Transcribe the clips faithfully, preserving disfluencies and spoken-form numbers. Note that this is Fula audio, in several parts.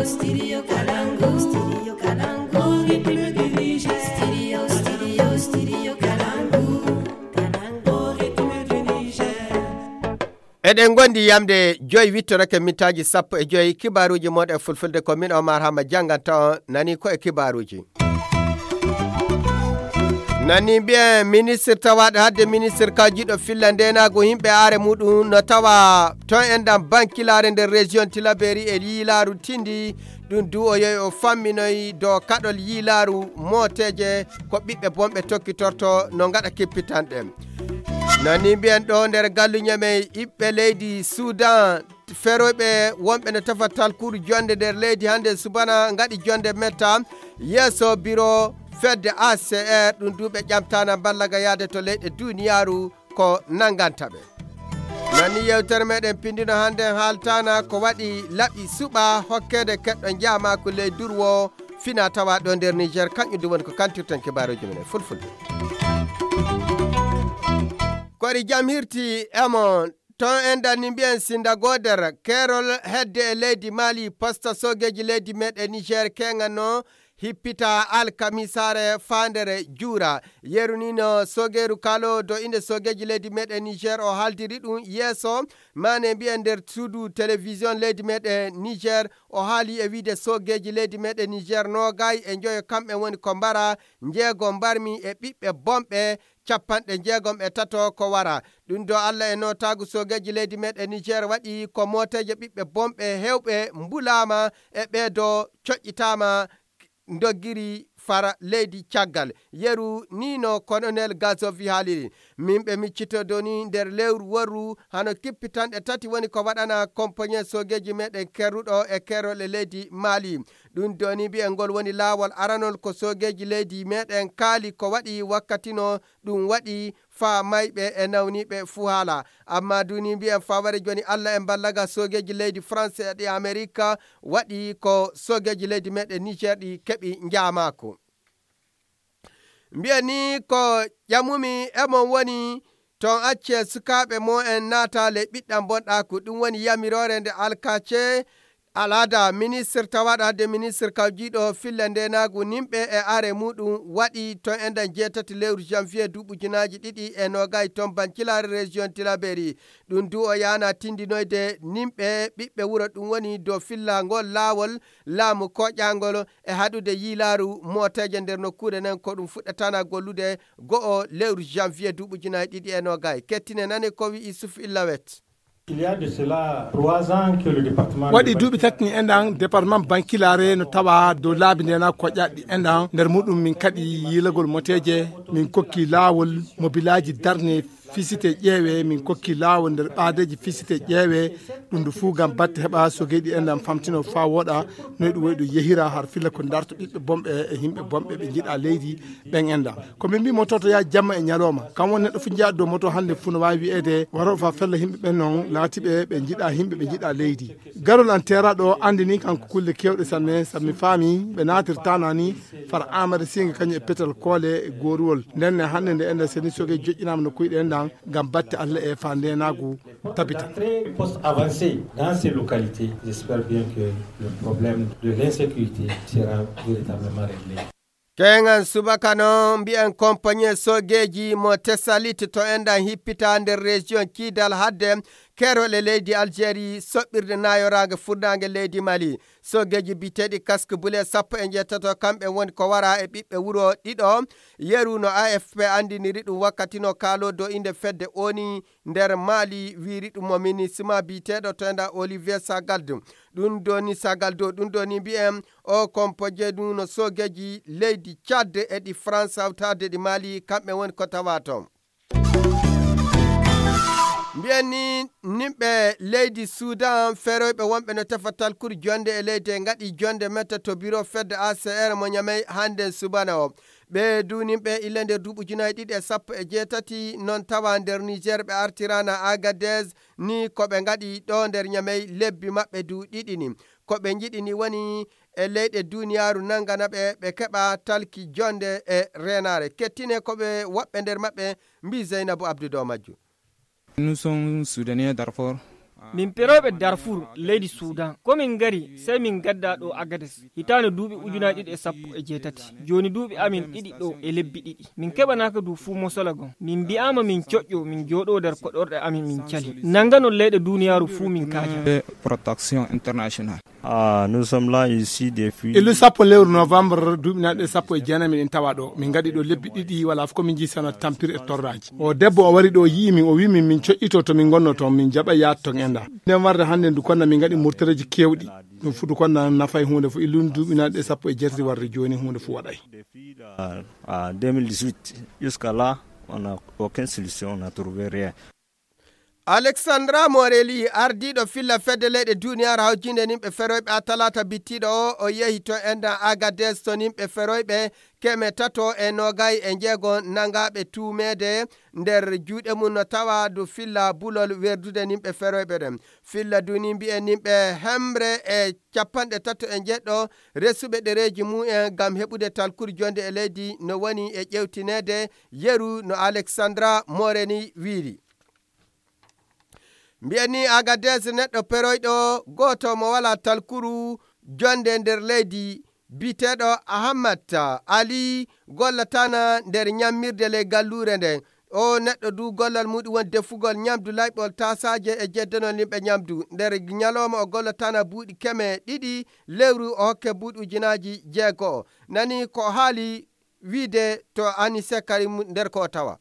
Studio Kalangu, Studio Kalangu, Ritme du Niger. Studio, Studio, Studio Kalangu, Kalangu, Ritme du Niger. Eɗen ngondi yamde joyi wittorake mintaaji sappo e joyi, kibaaruuji mon e fulfulde. Ko min Omar Hama jannganta on, nani ko e kibaaruuji. Nani mbiyen ministre tawaaɗo hadde ministre kawjiɗo filla ndenaagu yimɓe aare muɗum no tawa ton enɗam bankilaare nder région Tilaberi e yiilaaru tindi. Ɗum du o yehi o famminoyi dow kaɗol yiilaaru mooteeje ko ɓiɓɓe bonɓe tokkitorto no ngaɗa kippitanɗe. Nani mbiyen ɗo nder galluñe men ɓiɓɓe leydi Sudan, feroyɓe wonɓe no tefa talkuru jonde nder leydi hannde subana ngaɗi jonde metta yeeso biro fedde A C R. Ɗum du ɓe ƴamtana ballaga yaade to leyɗe duniyaaru ko nannganta ɓe. Nani yewtere meɗen pindino hannde haaltana ko waɗi laɓi suɓa hokkede keɗɗo njaamaaku ley durwo fina tawa ɗo nder Niger. Kañum du woni ko kantirten kibaaruuji men e fulfulde. Kori jam hirti e mon. Ton en danni mbiyen sinda goder kerol hedde e leydi Mali, posta sogeji leydi meɗen Niger kengano hippita alkamisaare faandere juura. Yeru ni no sogeru kalo do inde sogeji leydi meɗen Niger o haaldiri ɗum yeeso mane mbiyen nder suudu télévision leydi meɗen Niger. O haali e wiide sogeji leydi meɗen Niger nogay e njoyo kamɓe woni ko mbara njeego mbarmi e ɓiɓɓe bonɓe capanɗe jeegom e tato ko wara. Ɗum do Allah e notaagu sogeji leydi meɗen Niger waɗi ko mooteeje ɓiɓɓe bonɓe hewɓe mbulaama e ɓeedo coƴƴitaama ndoggiri fara leydi caggal. Yeru ni no Colonel Gazovi haaliri. Min ɓe miccito doni nder lewru worru hano kippitanɗe tati woni ko waɗana kompanyen sogeji meɗen kerruɗo e kerol e leydi Mali. Ɗum doni mbiyen ngol woni laawol aranol ko sogeji leydi meɗen kaali ko waɗi wakkatino ɗum waɗi faa mayɓe e nawniiɓe fuu haala. Amma duni mbiyen faa ware joni Allah en ballaga sogeji leydi France e ɗi Amerika waɗi ko sogeji leydi meɗen Niger ɗi keɓi njaamaako. Mbiyen ni ko ƴamumi e mon woni ton acce sukaaɓe mo en naata ley ɓiɗɗan bonɗaaku. Ɗum woni yamiroore nde alkace al'ada ministre tawaɗo hadde ministre kawjiɗo filla ndenaagu nimɓe e are muɗum waɗi ton e nden jeetati lewru janvier duuɓi ujunaaji ɗiɗi e noogay ton bankilaare région Tilaberi. Ɗum du o yaana tindinoyde nimɓe ɓiɓɓe wuro ɗum woni dow fillangol laawol laamu koƴangol e haɗude yiilaaru mooteeje nder nokkuure nden ko ɗum fuɗɗatana gollude go'o lewru janvier duuɓi ujunaaji ɗiɗi e noogay. Kettine nane ko wi'i Isuf Illawet. Il y a de cela trois ans que le département waɗi duuɓi tati ni enɗan département bankilaare no tawa dow laabi ndena koƴaɗi enɗan nder muɗum min kaɗi yiilagol moteeje min kokki laawol mobilaaji darne fisite ƴeewe min kokki laawol nder ɓaadeeji fisite ƴeewe ɗum du fuu ngam batte heɓa sogeeɗi enɗan famtino faa wooɗa noy ɗum woy ɗum yehira har filla ko darto ɓiɓɓe bonɓe e yimɓe bonɓe ɓe njiɗa leydi ɓen enɗan. Ko min mbi moto to yaa jamma e ñalawma kam woni neɗɗo fof njiya dow moto hannde fof no waawi wiyeede waro fa fella yimɓe ɓen noon laatiɓe ɓe njiɗa yimɓe ɓe njiɗa leydi. Garol an teeraɗo o anndini kanko kulle kewɗe sanne sabu mi faami ɓe naatirtana ni fara amade singa kañum e petal koole e gooruwol ndenne hannde nde enden seni soge joƴƴinaama no kuyɗe enɗan ngam batte allah e fa ndenaagu tabita. Poste avancé dans ces localités, j'espère bien que le problème de l'insécurité sera véritablement réglé. Keŋan subaka noon mbiyen compagnie sogeeji mo Tessalit to enɗan hippita nder région Kidal hadde kerol e leydi Algérie soɓɓirde nayoraange furnaange leydi Mali. Sogeeji biyeteeɗi casque bleu sappo e njeetato kamɓe woni ko wara e ɓiɓɓe wuro ɗiɗo. Yeru no A F P anndiniri ɗum wakkati no kaalo dow innde fedde oni nder Mali wiiri ɗum mo minisma biyeteeɗo to enɗan Olivier Sagaldo. Ɗum doni Sagaldo ɗum doni mbiyen o kompoje ɗum no sogeeji leydi Tchad e ɗi France hawtaade ɗi Mali kamɓe woni ko tawa toon. Mbiyen ni nimɓe leydi Sudan feroyɓe wonɓe no tefa talkuru jonde e leydi e ngaɗi jonde metta to biro fedde A C R mo Ñamey hannde subana o. Ɓe duuninɓe illa nder duuɓi ujunaaji ɗiɗi e sappo e jeetati noon tawa nder Niger ɓe artirana Agadez ni ko ɓe ngaɗi ɗo nder Ñamey lebbi maɓɓe du ɗiɗi ni. Ko ɓe njiɗi ni woni e leyɗe duniyaaru nangana ɓe ɓe keɓa talki jonde e reenaare. Kettine ko ɓe woɓɓe nder maɓɓe mbi Zeynabu Abdu dow majju. Nous sommes Soudanais Darfour. Min perooɓe Darfur, leydi Suudan. Ko min ngari, sey min ngaddaa ɗo Agades. Hitaande duuɓi ujunaaji ɗiɗi e sappo e jeetati. Jooni duuɓi amin ɗiɗi ɗo e lebbi ɗiɗi. Min keɓanaaka du fuu mosola gon. Min mbi'aama min coƴƴo, min jooɗoo nder koɗorɗe amin min cali. Nannganon leyɗe duuniyaaru fuu min kaaja. Protection internationale. Ah, nous sommes là ici depuis. E lewru sappo lewru novembre duuɓi naɗe sappo e jeenayi miɗen tawa ɗo. Min ngaɗi ɗo lebbi ɗiɗi wala fof ko min jii sana tampir e torraji. O debbo o wari ɗo yi'i min, o wi min min coƴƴito to min ngonno toon, min jaɓa yaade toon enda. Nden warde hannde ndu konna min ngaɗi murtareji kewɗi. Ɗum fuu ndu konna nafay huunde fof. Illun duuɓi naɗe sappo e jeetati warde jooni huunde fof waɗay. Depuis la, ah, deux mille dix-huit, jusqu'à là, on n'a aucune solution, on n'a trouvé rien. Alexandra Morelli, ardiiɗo filla fedde leyɗe duuniyaaru hawjinde nimɓe feroyɓe a talaata bittiiɗo o, o yehi to endan Agades to nimɓe feroyɓe keme tato e noogay e njeego nangaaɓe tuumeede nder juuɗe mum no tawa du filla bulol werdude nimɓe feroyɓe ɗen. Filla du ni mbi'en nimɓe hemre e capanɗe tato e njeɗɗo resuɓe ɗereeji mum en ngam heɓude talkuru jonde e leydi no woni e ƴewtineede, yeru no Alexandra Morelli wiiri. Mbiyen ni Agadez neɗɗo peroyɗo gooto mo walaa talkuru jonde nder leydi, biyeteeɗo Ahamat Ali, gollatana nder ñammirde ley galluure nden. O neɗɗo du gollal muɗum woni defugol ñamdu layɓol taasaaje e jeddanol yimɓe ñamdu. Nder ñalooma o gollatana buuɗi keme ɗiɗi, lewru o hokke buuɗi ujunaaji jeego. Nani ko o haali wiide to Anise Karim nder ko o tawa.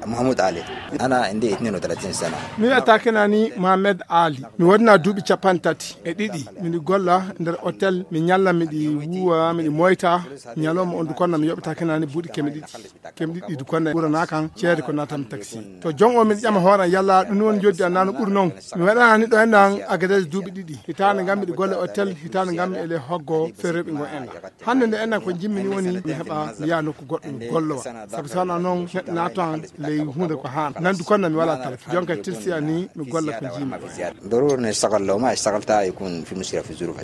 Mahmoud Ali, ana inde itnin wa talatin sana. Mi wiyata kenani Mohamed Ali. Mi wodna duuɓi capanɗe tati e ɗiɗi. Miɗi golla nder hotel, mi ñalla, miɗi wuwa, miɗi moyta. Ñalawma on du konna mi yoɓata kenani buuɗi keme ɗiɗi. Keme ɗiɗi du konna ɓurana kan ceede ko natam taxi. To jon o miɗi ƴama hooran yalla ɗum woni joddi an nano ɓuri non. Mi waɗana ni ɗo enɗan Agadez duuɓi ɗiɗi. Hitaande ngam miɗi golla hotel, hitaande ngam mi ele hoggo ferroɓe ngo enɗan. Hannde nde enɗan ko jimmi ni woni mi heɓa mi yaha nokku goɗɗo mi gollowa. Sabu so wonaa noon neɗɗo naatoan ley huunde ko haana. Nandu konna mi walaa talki. Jonka tirsi an ni mi golla ko jiimi. Darur ne sagal law ma sagal ta ikun fi musira fi zuru.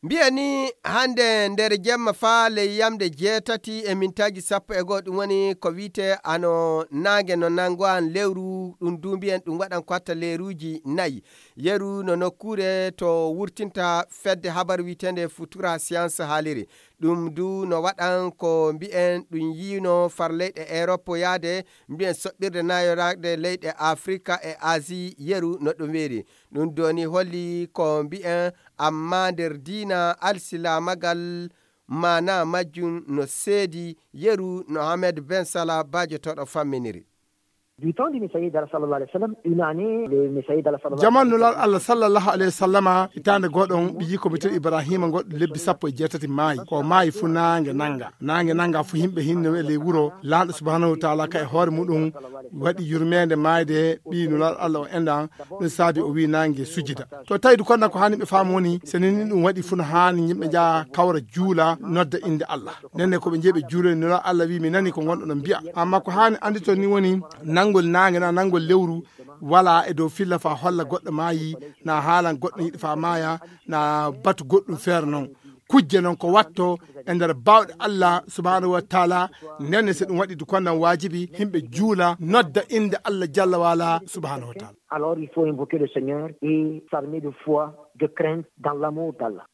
Mbiyen ni hannde nder jemma faa ley yamde jeetati e mintaaji sappo e goo, ɗum woni ko wiyetee ano naange no nanngo an lewru, ɗum du mbiyen ɗum waɗan ko hatta leeruuji nayi. Yeru no nokkuure to wurtinta fedde habar wiyeteende Futura Science haaliri. Ɗum du no waɗan ko mbiyen ɗum yiino far leyɗe Erop yaade mbiyen soɓɓirde nayoraade leyɗe Afrika e Asie yeru no ɗum weeri. Ɗum doni holli ko mbiyen amma nder diina alsilaamagal maana majjum no seedi yeru no Ahmed Ben Salah baajotoɗo famminiri. Du temps du Messager d'Allah sallallahu alayhi wa sallam, une année, le Messager d'Allah sallallahu alayhi wa sallam. Jaman nulal Allah sallallahu alayhi wa sallama, hitaande goɗon ɓiyi ko mbiyeteeɗo Ibrahima goɗɗo lebbi sappo e jeetati maayi. Ko maayi fu naange nanga. Naange nanga fu yimɓe hinno e ley wuro. Laanɗo subhanahu wa taala ka e hoore muɗum waɗi yurmeende maayde ɓiyi nulal Allah o enɗan. Ɗum saabi o wi naange sujida. To tawi du konna ko haani ɓe faamu woni, so ni ɗum waɗi fu no haani yimɓe njaha kawra juula nodda innde Allah. Nden ne ko ɓe njehi ɓe juuloyi nulal Allah wi mi nani ko ngonɗon on mbiya. Amma ko haani anndito ni woni nanngol naange na nanngol lewru wala e dow filla fa holla goɗɗo maayi, na haalan goɗɗo yiɗi fa maaya, na batu goɗɗum feere non. Kujje non ko watto e nder baawɗe Allah subhanahu wa taala. Nden ne so ɗum waɗi du konna waajibi yimɓe juula nodda innde Allah jalla wa ala subhanahu wa taala. Alors il faut invoquer le Seigneur et s'armer de foi, de crainte dans l'amour d'Allah.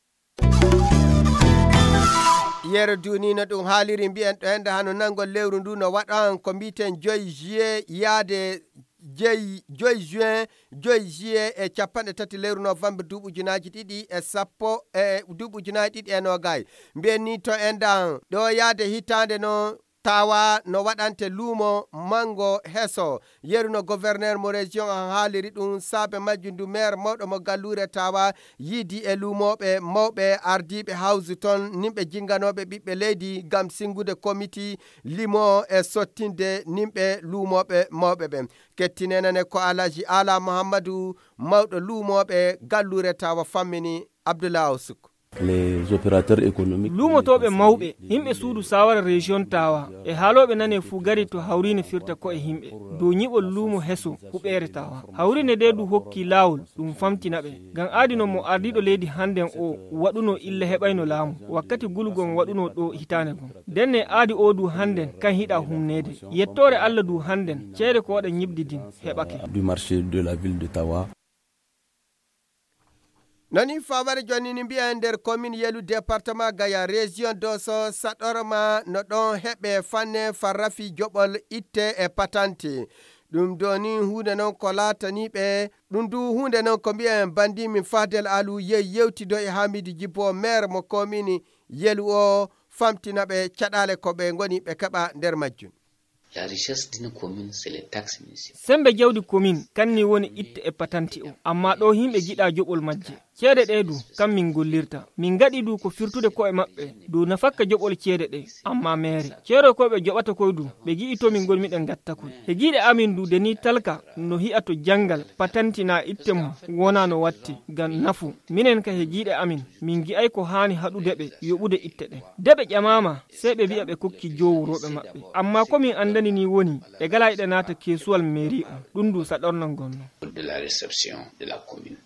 Yero duni no ɗum haaliri mbiyen ɗo hende hano nanngol lewru ndu no waɗan ko mbiten joyi juillet yaade jeyi joyi juin, joyi juillet e capanɗe tati lewru novembre duuɓi ujunaaji ɗiɗi e sappo e duuɓi ujunaaji ɗiɗi e noogay. Mbiyen ni to enɗan ɗo yaade hitaande no tawa no waɗante luumo manngo heso. Yeru no gouverneur mo région an haaliri ɗum saabe majjum ndu maire mawɗo mo galluure tawa yiidi e luumooɓe mawɓe ardiiɓe hawsu toon nimɓe jinnganooɓe ɓiɓɓe leydi ngam sinngude komiti limo e sottinde nimɓe luumooɓe mawɓe ɓen. Kettinenane ko Alhaji Ala Muhammadu mawɗo luumooɓe galluure tawa fammini Abdullah Awsuk. Les opérateurs économiques. Luumotooɓe mawɓe, yimɓe suudu saawara région tawa e haalooɓe nane fuu gari to hawriine firta ko'e yimɓe dow nyiɓol luumo heso huɓeere tawa. Hawriine nde du hokki laawol ɗum famtina ɓe. Ngam aadi non mo ardiiɗo leydi hannden o waɗuno illa heɓayno laamu wakkati gulugol mo waɗuno ɗo hitaande gon. Ndenne aadi o du hannden kan hiɗa humneede. Yettoore Allah du hannden ceede ko waɗa nyiɓdi din heɓake. Du marché de la ville de Tawa. Nani faware jonnini mbiya nder commune Yelu, département Gaya, région Dosso, saɗorma no ɗon heɓe fanne farrafi joɓol itte e patante. Ɗum do ni huunde non ko laatani ɓe. Ɗum du huunde non ko mbiyen bandi min Fadel Alu yehi yewtido e Hamidu Jibo, maire mo commune Yelu o, famtina ɓe caɗaale ko ɓe ngoni ɓe keɓa nder majjum. La richesse d'une commune, c'est les taxes municipales. Sembe jawdi commune kanni woni itte e patanti o, amma ɗo himɓe jiɗa joɓol majje. Ceede ɗe du kam min gollirta, min gaɗi du ko firtude ko'e maɓɓe du nafakka joɓol ceede ɗe. Amma meere ceeroy koy ɓe joɓata koy du, ɓe gi'i to min gonmi ɗen gatta koy. He giiɗe amin du de ni talka no hi'a to janngal patanti na itte mum wona no watti ngam nafu. Minen ka he giiɗe amin min gi'ay ko haani haɗude ɓe yoɓude itte ɗen. De ɓe ƴamaama, sey ɓe wi'a ɓe kokki jowuroɓe maɓɓe. Amma ko min andani ni woni ɓe gala eɗe naata keesuwal mairie on. Ɗum du saɗornol ngol non. De la réception de la commune.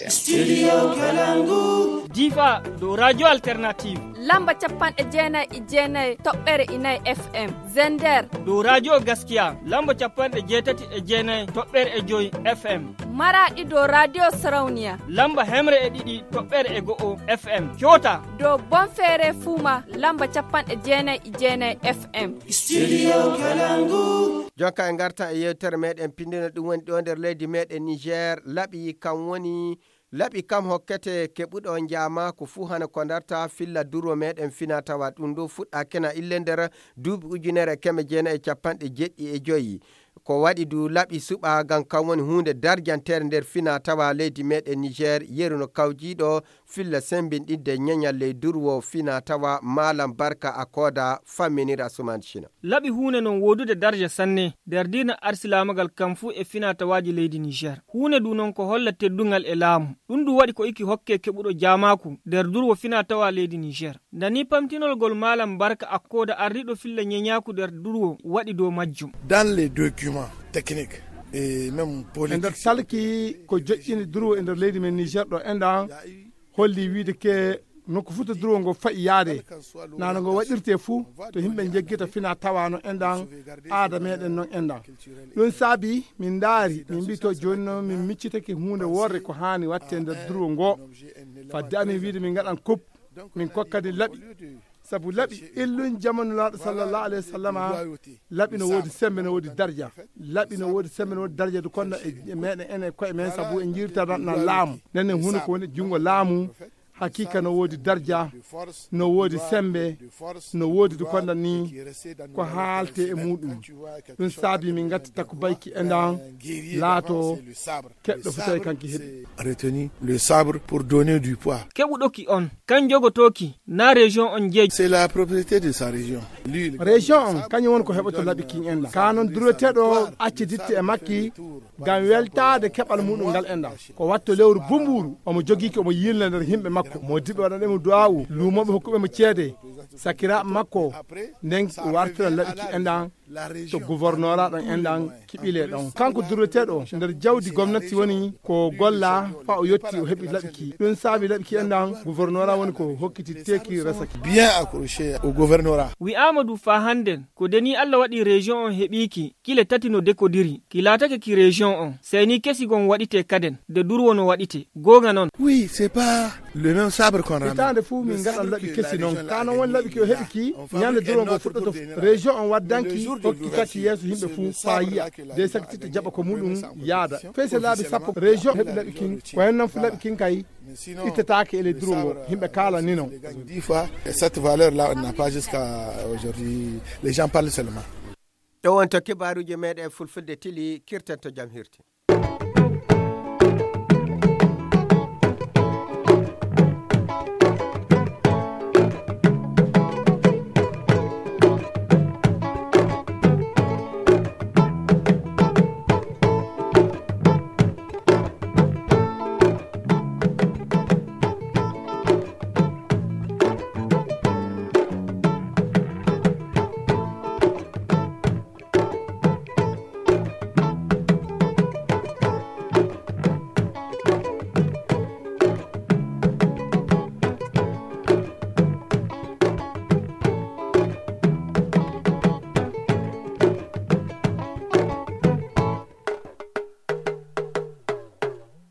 Studio Kalangu. Difa dow radio alternative. Lamba capanɗe jeenayi e jeenayi toɓɓere inayi F M. Zender. Dow radio Gaskiya lamba capanɗe jeetati e jeenayi toɓɓere e joyi F M. Maraɗi dow radio Sarauniya. Lamba hemre e ɗiɗi toɓɓere e go'o F M. Coota. Dow Bonfere Fuma lamba capanɗe jeenayi e jeenayi F M. Studio Kalangu. Jonka e ngarta e yewtere meɗen pindino ɗum woni ɗo nder leydi meɗen Niger. Laɓi kam woni, laɓi kam hokkete keɓuɗo njaama ko fuu hana ko darta filla durwo meɗen fina tawa. Ɗum ɗo fuɗɗa kena ille nder duuɓi ujunere keme jeenayi e capanɗe jeɗɗi e joyi. Ko waɗi du laɓi suɓa ngam kam woni huunde darjantere nder fina tawa leydi meɗen Niger, yeru no kawjiɗo filla sembinɗinde ñeñal ley durwo fina tawa Malam Barka Akoda famminira Suman China. Laɓi huunde non woodude darja sanne nder diina arsilaamagal kam fuu e fina tawaaji leydi Niger. Huunde du non ko holla teddungal e laamu. Ɗum du waɗi ko iki hokke keɓuɗo jaamaaku nder durwo fina tawa leydi Niger. Ndani pamtinol gol Malam Barka Akoda ardiɗo filla ñeñaaku nder durwo waɗi dow majjum. Dans les documents techniques et même e nder politiques, talki ko joƴƴini durwo e nder leydi men Niger ɗo enɗan holli wiide ke nokku fuu to durwo ngo fa'i yaade. Nano ngo waɗirte fuu to himɓe jeggita fina tawano enɗan aada meɗen non enɗan. Ɗum saabi min ndaari, min mbi to jooni noon min miccitake huunde worre ko haani watte nder durwo ngo. Fadde amin wiide min ngaɗan kub, min kokkani laɓi. Sabu laɓi illun jama Nulaaɗo sallallahu alayhi wa sallama, laɓi no woodi sembe, no woodi darja. Laɓi no woodi sembe, no woodi darja du konno e, e meɗen enen koye men, sabu en jirtana laamu. Nden en huno ko woni junngo laamu. Hakiika no woodi darja, no woodi sembe, no woodi du konno ni ko haalte e muɗum. Ɗum saabi min ngatti takku bayki e ndan laato keɗɗo fu tawi kanki heɓi. Retenu le sabre pour donner du poids. Keɓuɗoki on, kan jogotooki, na région on jeeji. C'est la propriété de sa région. Lui, il Région on, kañum woni ko heɓoto laɓi kin en ɗan. Ka non dureteɗo acci ditte e makki, ngam weltaade keɓal muɗum ngal en ɗan. Ko watto lewru bumburu, omo jogiki omo yilna nder himɓe makko. Mo diɓe waɗanɗe mo du'a'u, luumoɓe hokkuɓe mo ceede. Sakiraaɓe makko, nden wartira laɓi ki en ɗan. To gouverneur ɗon enɗan kiɓile ɗon. Kanko dureteɗo nder jawdi gomnati woni ko golla fa o yotti o heɓi laɓi ki. Ɗum saabi laɓi ki enɗan gouverneur woni ko hokkiti teki resaki. Bien accroché au gouvernorat. Wi'aama du fa hannden, ko deni Allah waɗi région on heɓiiki, kile tati no dekodiri. Ki laatake ki région on, sey ni kesi gon waɗite kaden, de durwo no waɗite. Goonga non. Oui, c'est pas le même sabre qu'on ramène. Hitaande fuu min ngaɗan laɓi kesi non. Ka non woni laɓi ki o heɓi ki, ñande durwo ngo fuɗɗoto fu. Région on waddanki, hokki kaki yeeso yimɓe fuu faa yi'a. De sakititta jaɓa ko muɗum yaada. Fey se laabi sappo région heɓi laɓi kin, ko hen non fu laɓi kin kay ittetaake e ley durwo ngo. Yimɓe kaalani non. Dix fois, cette valeur-là, on n'a pas jusqu'à aujourd'hui. Les gens parlent seulement. Ɗo wonto kibaaruuji meɗen fulfulde tili, kirtanto jam hirti.